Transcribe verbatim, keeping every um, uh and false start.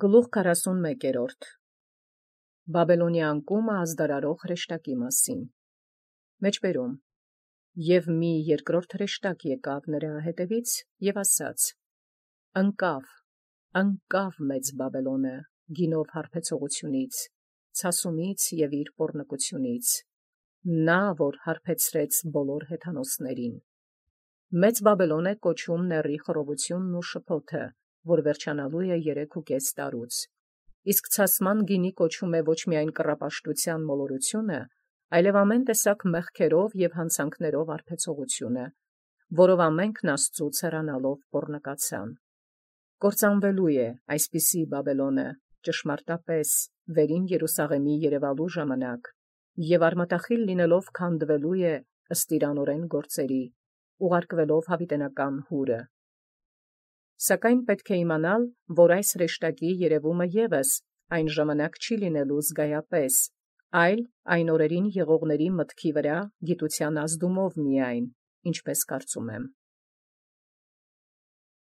Գլուխ քառասունմեկերորդ Բաբելոնիա անկումը ազդարարող հրեշտակի մասին մեջբերում և մի երկրորդ հրեշտակ եկավ նրա հետևից և ասաց. ընկավ, ընկավ մեծ Բաբելոնը գինով հարբեցողությունից, ցասումից և իր պոռնկությունից, նա որ հարբեցրեց բոլոր հեթանոսներին. մեծ Բաբելոն է կոչում նեռի խռովությունն ու շփոթը, որ վերջանալու է երեքուկես տարուց, իսկ ցասման գինի կոչում է ոչ միայն կռապաշտության մոլորությունը, այլև ամեն տեսակ մեղքերով և հանցանքներով հարբեցողությունը, որով ամենքն Աստծուց հեռանալով պոռնկացան. կործանվելու է այսպիսի Բաբելոնը ճշմարտապես վերին Երուսաղեմի երևալու ժամանակ, և արմատախիլ լինելով քանդվելու է ըստ իր անօրեն գործերի, ուղարկվելով յաւիտենական հուրը։ Սակայն պետք է իմանալ, որ այս հրեշտակի երևումը ևս այն ժամանակ չի լինելու զգայապես, այլ այն օրերին եղողների մտքի վրա գիտության ազդումով միայն, ինչպես կարծում եմ։